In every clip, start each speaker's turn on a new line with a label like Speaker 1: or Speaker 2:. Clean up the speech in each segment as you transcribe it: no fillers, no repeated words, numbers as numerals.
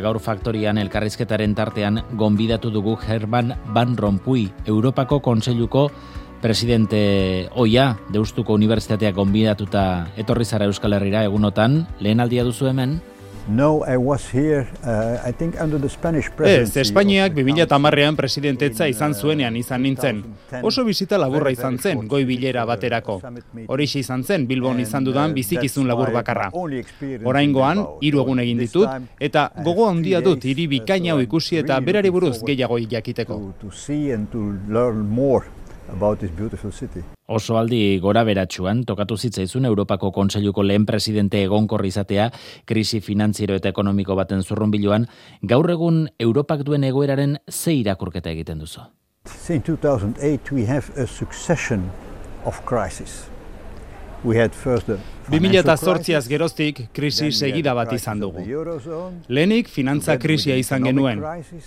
Speaker 1: Gaur Faktorian elkarrizketaren tartean gonbidatu dugu Herman Van Rompuy, Europako Kontseiluko presidente ohia, Deustuko Unibertsitateak gonbidatuta etorri zara Euskal Herrira egunotan, lehen aldia duzu hemen?
Speaker 2: No, I was here, I think under the Spanish presidency.
Speaker 3: Espainiak 2010ean presidentetza izan zuenean izan nintzen. Oso bizita laburra izan zen, goi bilera baterako. Horixe izan zen, Bilbon izan dudan bizikizun labur bakarra. Oraingoan, 3 egun egin ditut, eta gogo handia dut hiri bikaina hau ikusi eta berari buruz gehiago jakiteko.
Speaker 1: Oso aldi gora beratsuan tokatu zitzaizun Europako Kontseiluko lehen presidente egonkor izatea krisi finantziero eta ekonomiko baten zurrunbiloan, gaur egun Europak duen egoeraren ze irakurketa egiten duzu?
Speaker 2: Since 2008 we have a succession of crises. We had first the
Speaker 3: 2008az geroztik krisi segida bat izan dugu. Lehenik finantza krisia izan genuen.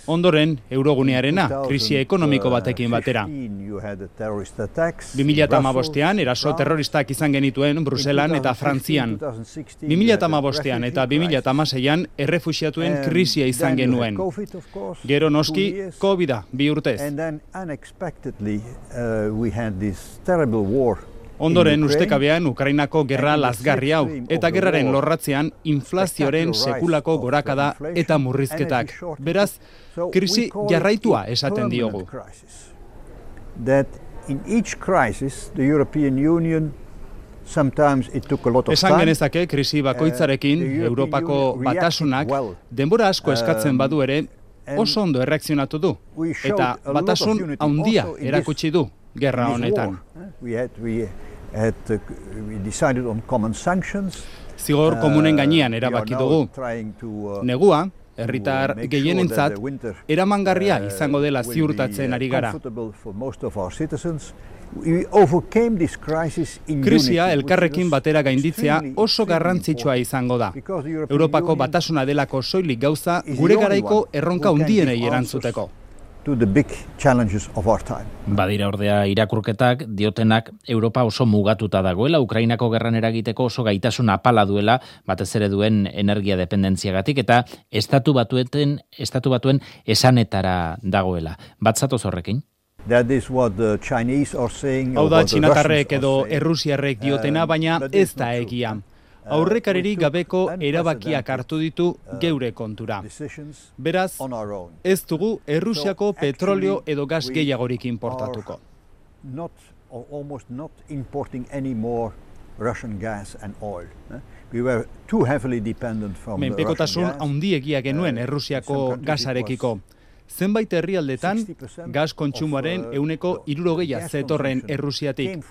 Speaker 3: Ondoren, eurogunearena, krisi ekonomiko batekin batera. 2015ean eraso terroristak izan genituen Bruselan eta Frantzian. 2015ean eta 2016ean errefuxiatuen krisia izan genuen. Gero noski, COVID-a, 2 urtez. Ondoren ustekabean Ukrainako gerra lazgarri hau, eta gerraren lorratzean inflazioaren sekulako gorakada eta murrizketak. Beraz, krisi jarraitua esaten diogu. Esan genezake krisi bakoitzarekin Europako batasunak denbora asko eskatzen badu ere oso ondo erreakzionatu du, eta batasun handia erakutsi du gerra honetan. Zigor komunen gainean erabaki dugu. Negua, herritar gehienentzat, eramangarria izango dela ziurtatzen ari gara. Krisia elkarrekin batera gainditzea oso garrantzitsua izango da. Europako batasuna delako soilik gauza gure garaiko erronka handienei erantzuteko.
Speaker 1: Badira ordea irakurketak diotenak Europa oso mugatuta dagoela, Ukrainako gerran eragiteko oso gaitasun apala duela, batez ere duen energia dependentziagatik, eta estatu batuen esanetara dagoela. Bat zatoz horrekin?
Speaker 3: Hau da txinatarrek edo errusiarrek diotena, baina ez da egia. Aurrekaririk gabeko erabakiak hartu ditu geure kontura. Beraz, ez dugu Errusiako petrolio edo gas gehiagorik importatuko. Menpekotasun handiegia genuen Errusiako gasarekiko. Zenbait herrialdetan gas kontsumoaren 60% zetorren Errusiatik.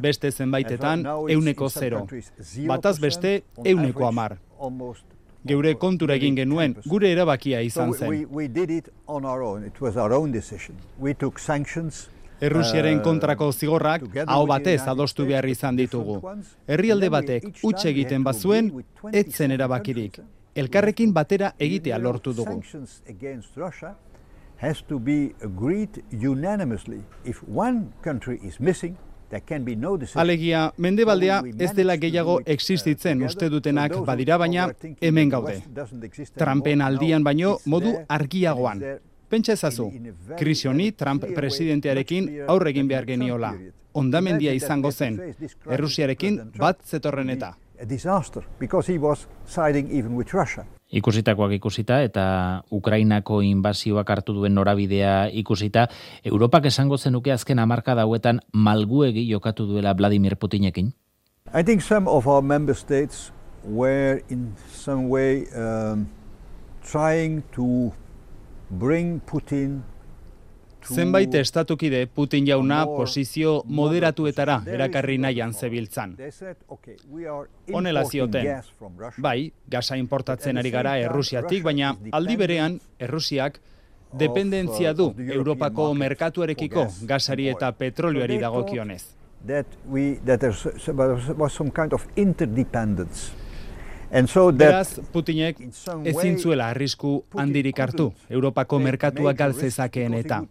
Speaker 3: Beste zenbaitetan 0%. Bataz beste 10%. Geure kontura egin genuen, gure erabakia izan zen. Errusiaren kontrako zigorrak aho batez adostu behar izan ditugu. Herrialde batek huts egiten bazuen, ez zen erabakirik. Elkarrekin batera egitea lortu dugu.
Speaker 2: Has to be agreed unanimously. If one country is missing, there can be no decision.
Speaker 3: Alegia, mendebaldea ez dela gehiago existitzen uste dutenak badira, baina hemen gaude. Trumpen aldian baino modu argiagoan. Pentsa ezazu, krisi honi Trump presidentearekin aurre egin behar geniola. Hondamendia izango zen, Errusiarekin bat zetorren eta.
Speaker 2: A disaster, because he was siding even with Russia.
Speaker 1: Ikusitakoak ikusita eta Ukrainako inbasioak hartu duen norabidea ikusita, Europak esango zenuke azken hamarkada hauetan malguegi jokatu duela Vladimir Putinekin?
Speaker 2: I think some of our member states were in some way trying to bring Putin
Speaker 3: Zenbait estatukide Putin jauna posizio moderatuetara erakarri nahian zebiltzan. Honela zioten, bai, gasa importatzen ari gara Errusiatik, baina aldi berean Errusiak dependentzia du Europako merkatuarekiko gasari eta petrolioari dagokionez.
Speaker 2: That there was some kind of interdependence.
Speaker 3: Beraz, Putinek ezin zuela arrisku handirik hartu, Europako merkatuak galtzezakeen eta.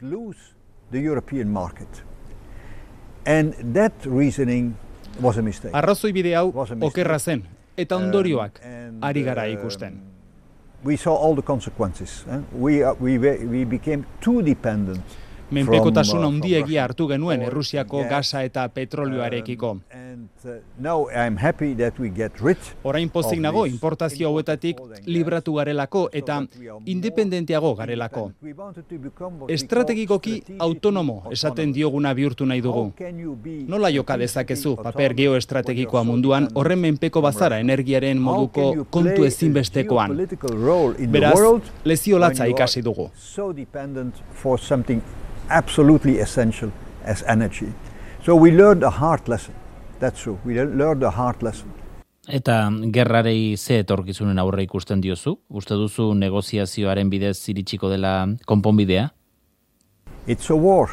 Speaker 3: Arrazoi bide hau okerra zen, eta ondorioak ari gara ikusten.
Speaker 2: we saw all the consequences. We became too dependent.
Speaker 3: Menpekotasun handiegia hartu genuen Errusiako gasa eta petrolioarekiko. Orain pozik nago inportazio hauetatik libratu garelako eta independenteago garelako. Estrategikoki autonomo esaten dioguna bihurtu nahi dugu. Nola joka dezakezu paper geoestrategikoa munduan horren menpeko bazara energiaren moduko kontu ezinbestekoan. Beraz, lezio latza ikasi dugu.
Speaker 2: Absolutely essential as energy. So we learned a hard lesson. That's true. We learned a hard lesson.
Speaker 1: Eta gerrarei ze etorkizunen aurre ikusten diozu? Uste duzu negoziazioaren bidez iritsiko dela konponbidea?
Speaker 2: It's a war.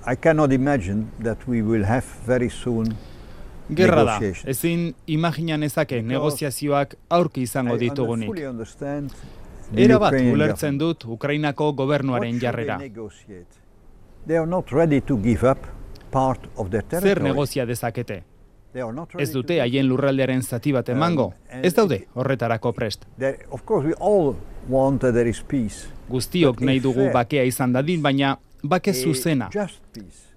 Speaker 2: I cannot imagine that we will have very soon
Speaker 3: Gerra da, ezin imaginan ezake negoziazioak aurki izango ditugunik. Era bat ulertzen dut Ukrainako gobernuaren jarrera. Zer negozia dezakete? Ez dute haien lurraldearen zati bat emango, ez daude horretarako prest. Guztiok nahi dugu bakea izan dadin, baina bake zuzena,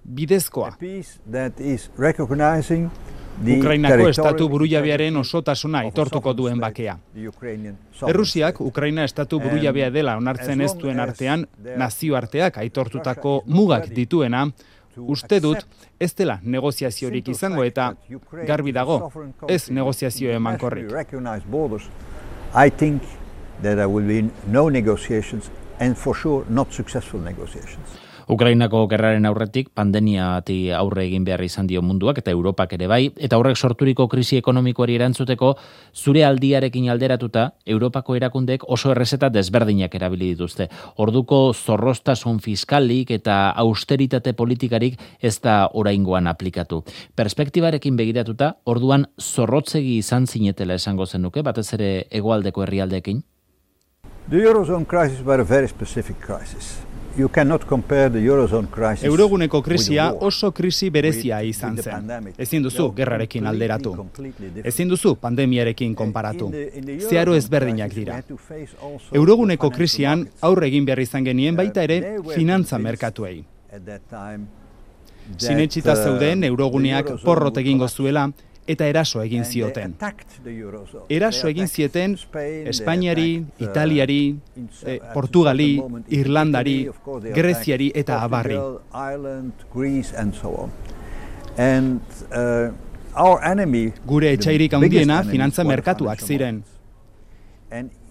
Speaker 3: bidezkoa. Ukrainako estatu burujabearen osotasuna aitortuko duen bakea. Errusiak Ukraina estatu burujabea dela onartzen ez duen artean, nazioarteak aitortutako mugak dituena, uste dut ez dela negoziaziorik izango eta garbi dago, ez negoziazio emankorrik.
Speaker 2: I think that there will be no negotiations and for sure not successful negotiations.
Speaker 1: Ukrainako gerraren aurretik pandemiati aurre egin behar izan dio munduak eta Europak ere bai, eta horrek sorturiko krisi ekonomikoari erantzuteko zure aldiarekin alderatuta Europako erakundeek oso errezeta desberdinak erabili dituzte. Orduko zorroztasun fiskalik eta austeritate politikarik ez da oraingoan aplikatu. Perspektibarekin begiratuta, orduan zorrotzegi izan zinetela esango zenuke, batez ere hegoaldeko herrialdeekin?
Speaker 2: The Eurozone crisis was a very specific crisis. You cannot compare the Eurozone crisis.
Speaker 3: Euroguneko krisia oso krisi berezia izan zen. Ezin duzu gerrarekin alderatu. Ezin duzu pandemiarekin konparatu. Zeharo ezberdinak dira. Euroguneko krisian aurre egin behar izan genien baita ere finantza merkatuei. Sinetsita zeuden Euroguneak porrot egingo zuela eta eraso egin zioten. Eraso egin zieten Espainiari, Italiari, Portugali, Irlandari, Greziari eta abarri. Gure etsairik handiena finantza merkatuak ziren.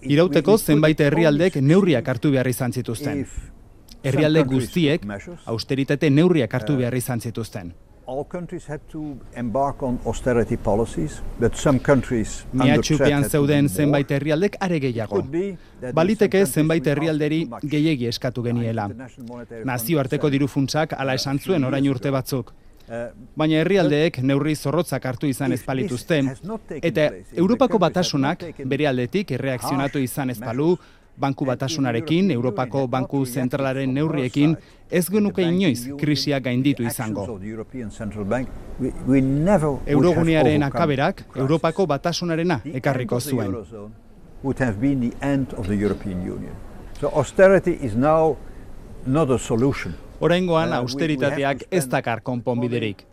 Speaker 3: Irauteko zenbait herrialdek neurriak hartu behar izan zituzten. Herrialde guztiek austeritate neurriak hartu behar izan zituzten.
Speaker 2: All countries had to embark on austerity policies, but some countries
Speaker 3: Miatxupean zeuden zenbait herrialdek are gehiago. Baliteke zenbait herrialderi gehiegi eskatu geniela. Nazioarteko dirufuntsak hala esan zuen orain urte batzuk. Baina herrialdeek neurri zorrotzak hartu izan ez balituzten, eta Europako Batasunak bere aldetik erreakzionatu izan ez balu, Banku Batasunarekin, Europako Banku Zentralaren neurriekin, ez genuke inoiz krisia gainditu izango. Eurogunearen akaberak Europako Batasunarena ekarriko zuen. Oraingoan austeritateak ez dakar konponbiderik.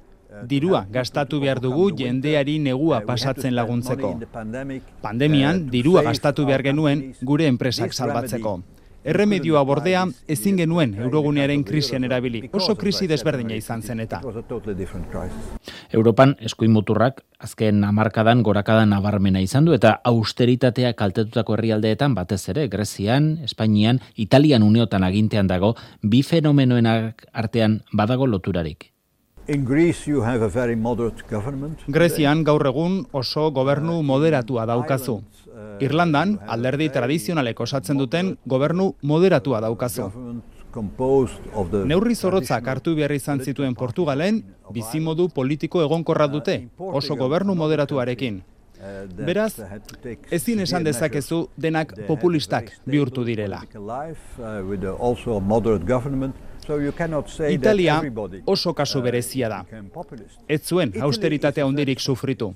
Speaker 3: Dirua gastatu behar dugu jendeari negua pasatzen laguntzeko. Pandemian, dirua gastatu behar genuen gure enpresak salbatzeko. Erremedioa bordea ezin genuen Eurogunearen krisian erabili. Oso krisi desberdina izan zen eta.
Speaker 1: Europan eskuin muturrak azken hamarkadan gorakada nabarmena izan du eta austeritatea kaltetutako herrialdeetan batez ere Grezian, Espainian, Italian uneotan agintean dago, bi fenomenoen artean badago loturarik.
Speaker 3: Grezian gaur egun oso gobernu moderatua daukazu. Irlandan, alderdi tradizionalek osatzen duten gobernu moderatua daukazu. Neurri zorrotzak hartu behar izan zituen Portugalen, bizimodu politiko egonkorra dute, oso gobernu moderatuarekin. Beraz, ezin esan dezakezu denak populistak bihurtu direla. Italia oso kasu berezia da. Ez zuen austeritatea handirik sufritu.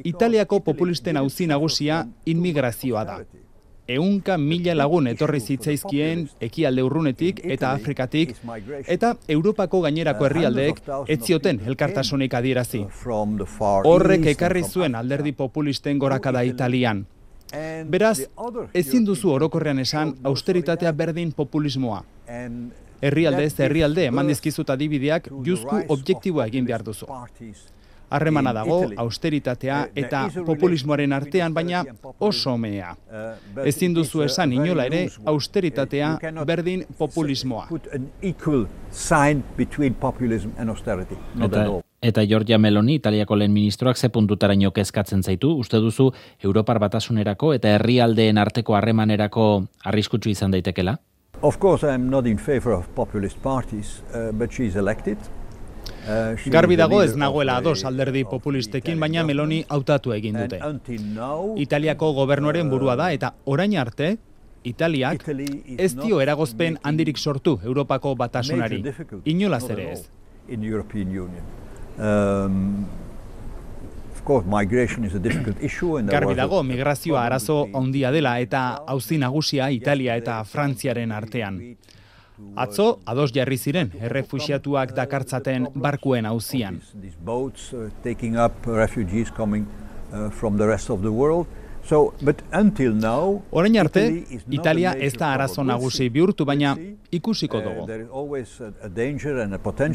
Speaker 3: Italiako populisten auzi nagusia inmigrazioa da. 100.000 lagun etorri zitzaizkien ekialde urrunetik eta Afrikatik, eta Europako gainerako herrialdeek ez zioten elkartasunik adierazi. Horrek ekarri zuen alderdi populisten gorakada Italian. Beraz, ezin duzu orokorrean esan austeritatea berdin populismoa. Herrialde ez herrialde eman dizkizut adibideak juzku objektiboa egin behar duzu. Harremana dago austeritatea eta populismoaren artean, baina oso mea. Ezin duzu esan inola ere austeritatea berdin populismoa.
Speaker 1: Eta Giorgia Meloni, Italiako lehen ministroak ze puntutaraino kezkatzen zaitu, uste duzu Europar Batasunerako eta herrialdeen arteko harremanerako arriskutsu izan daitekela?
Speaker 2: Of course, I'm not in favor of populist parties, but she's elected.
Speaker 3: Garbi dago ez nagoela ados alderdi populistekin, baina Meloni hautatu egin dute. Italiako gobernuaren burua da eta orain arte, Italiak ez dio eragozpen handirik sortu Europako Batasunari. Inolaz ere ez. Garbi dago migrazioa arazo handia dela eta auzi nagusia Italia eta Frantziaren artean. Atzo, ados jarri ziren, errefuxiatuak dakartzaten barkuen auzian. Orain arte, Italia ez da arazo nagusi bihurtu, baina ikusiko dugu.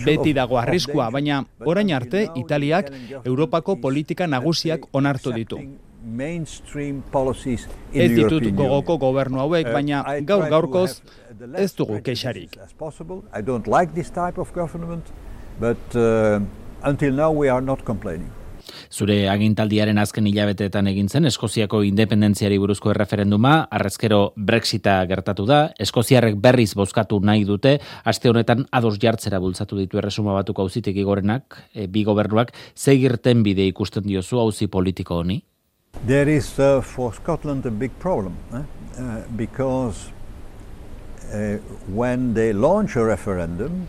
Speaker 3: Beti dago arriskua, baina orain arte, Italiak Europako politika nagusiak onartu ditu. Ez ditut gogoko gobernu hauek, baina gaur-gaurkoz ez dugu kexarik.
Speaker 1: Zure agintaldiaren azken hilabeteetan egin zen Eskoziako independentziari buruzko erreferenduma, harrezkero Brexita gertatu da, eskoziarrek berriz bozkatu nahi dute, aste honetan ados jartzera bultzatu ditu Erresuma Batuko auzitegi gorenak, bi gobernuak, ze irten bide ikusten diozu auzi politiko honi?
Speaker 2: There is for Scotland a big problem, because when they launch a referendum,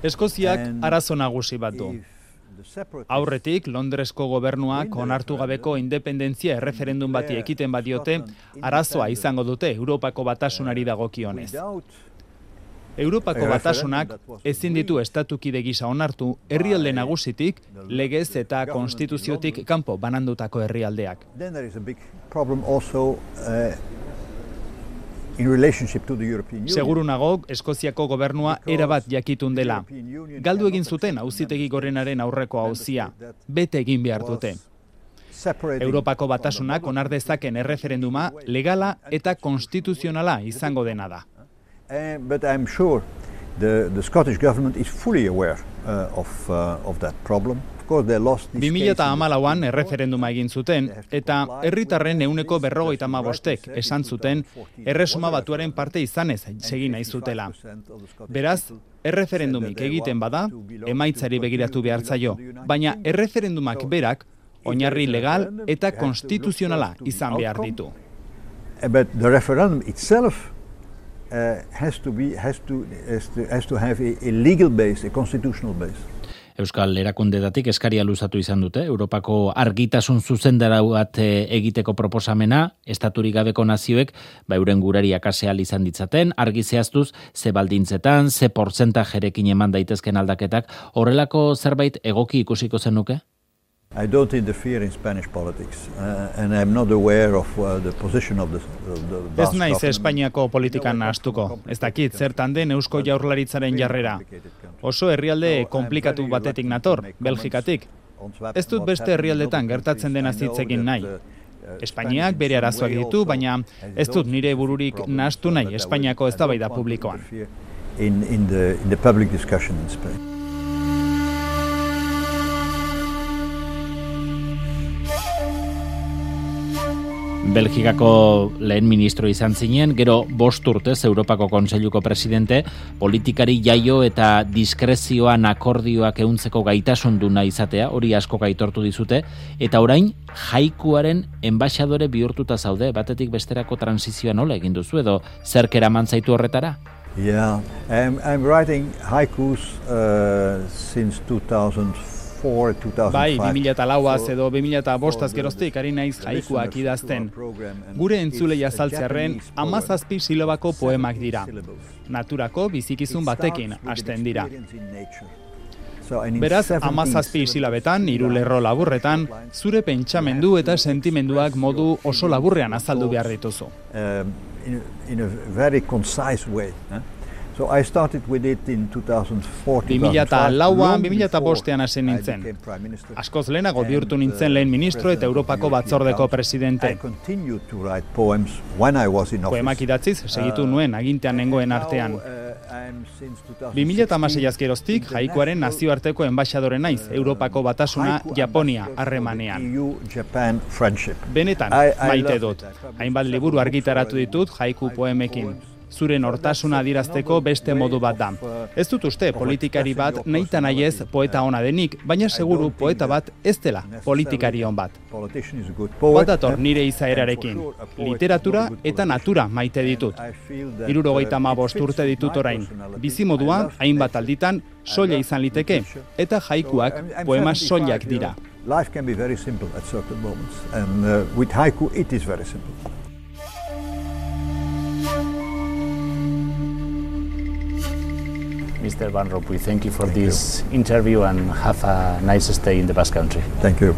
Speaker 3: Eskoziak arazo nagusi bat du. Aurretik, Londresko gobernuak onartu gabeko independentzia erreferendum bati ekiten badiote, arazoa izango dute Europako Batasunari dagokionez. Europako Batasunak ezin ditu estatukide gisa onartu herrialde nagusitik, legez eta konstituziotik kanpo banandutako herrialdeak. Seguru nago, Eskoziako gobernua erabat jakitun dela. Galdu egin zuten auzitegi gorenaren aurreko auzia. Bete egin behar dute. Europako Batasunak onar dezaken erreferenduma legala eta konstituzionala izango dena da.
Speaker 2: But I'm sure the Scottish government is fully aware of that problem.
Speaker 3: 2014an erreferenduma egin zuten, eta herritarren 50% esan zuten Erresuma Batuaren parte izanez segin nahi zutela. Beraz, erreferendumik egiten bada, emaitzari begiratu behar zaio, baina erreferendumak berak oinarri legal eta konstituzionala izan behar ditu.
Speaker 2: But the referendum itself has to have a legal base, a constitutional base.
Speaker 1: Euskal Erakundetatik eskaria luzatu izan dute, Europako argitasun zuzendarau bat egiteko proposamena, estaturik gabeko nazioek, euren gurari akaseal izan ditzaten, argi zehaztuz, ze baldintzetan, ze portzentajerekin eman daitezken aldaketak, horrelako zerbait egoki ikusiko zenuke?
Speaker 2: I don't interfere in Spanish politics, and I'm not aware of the position of the
Speaker 3: Ez naiz Espainiako politikan nahastuko. Ez dakit zertan den Eusko Jaurlaritzaren jarrera. Oso herrialde konplikatu batetik nator, Belgikatik. Ez dut beste herrialdetan gertatzen dena hitzekin nahi. Espainiak bere arazoak ditu, baina ez dut nire bururik nahastu nahi Espainiako eztabaida publikoan.
Speaker 2: In the public discussion in Spain.
Speaker 1: Belgikako lehen ministro izan zinen, gero 5 urtez Europako Kontseiluko presidente, politikari jaio eta diskrezioan akordioak ehuntzeko gaitasun duna izatea, hori asko aitortu dizute, eta orain jaikuaren enbaxadore bihurtuta zaude, batetik besterako transizioa nola egin duzu edo zerk eraman zaitu horretara?
Speaker 2: Yeah, I'm writing haikus since 2004.
Speaker 3: Bai, 2004az edo 2005az geroztik ari naiz haikuak idazten. Gure entzulei azaltzearren 17 silabako poemak dira. Naturako bizikizun batekin hasten dira. Beraz, 17 silabetan, 3 lerro laburretan, zure pentsamendu eta sentimenduak modu oso laburrean azaldu behar dituzu.
Speaker 2: In a very concise way. So I started with it in 2004.
Speaker 3: 2004an, 2005an hasi nintzen. Askoz lehenago bihurtu nintzen lehen ministro eta Europako batzordeko presidente. Poemak idatziz segitu nuen agintean nengoen artean. 2016az geroztik haikuaren nazioarteko enbaxadore naiz Europako batasuna Japonia harremanean. Benetan maite dut. Hainbat liburu argitaratu ditut haiku poemekin. Zure nortasuna adierazteko beste modu bat da. Ez dut uste politikari bat nahita nahiez poeta ona denik, baina seguru poeta bat ez dela politikari on bat. Bat dator nire izaerarekin. Literatura eta natura maite ditut. 75 urte ditut orain. Bizimodua hainbat alditan soila izan liteke, eta haikuak poema soilak dira.
Speaker 2: Life can be very simple at certain moments, and with haiku it is very simple.
Speaker 4: Mr. Van Rompuy, thank you for this interview and have a nice stay in the Basque Country.
Speaker 2: Thank you.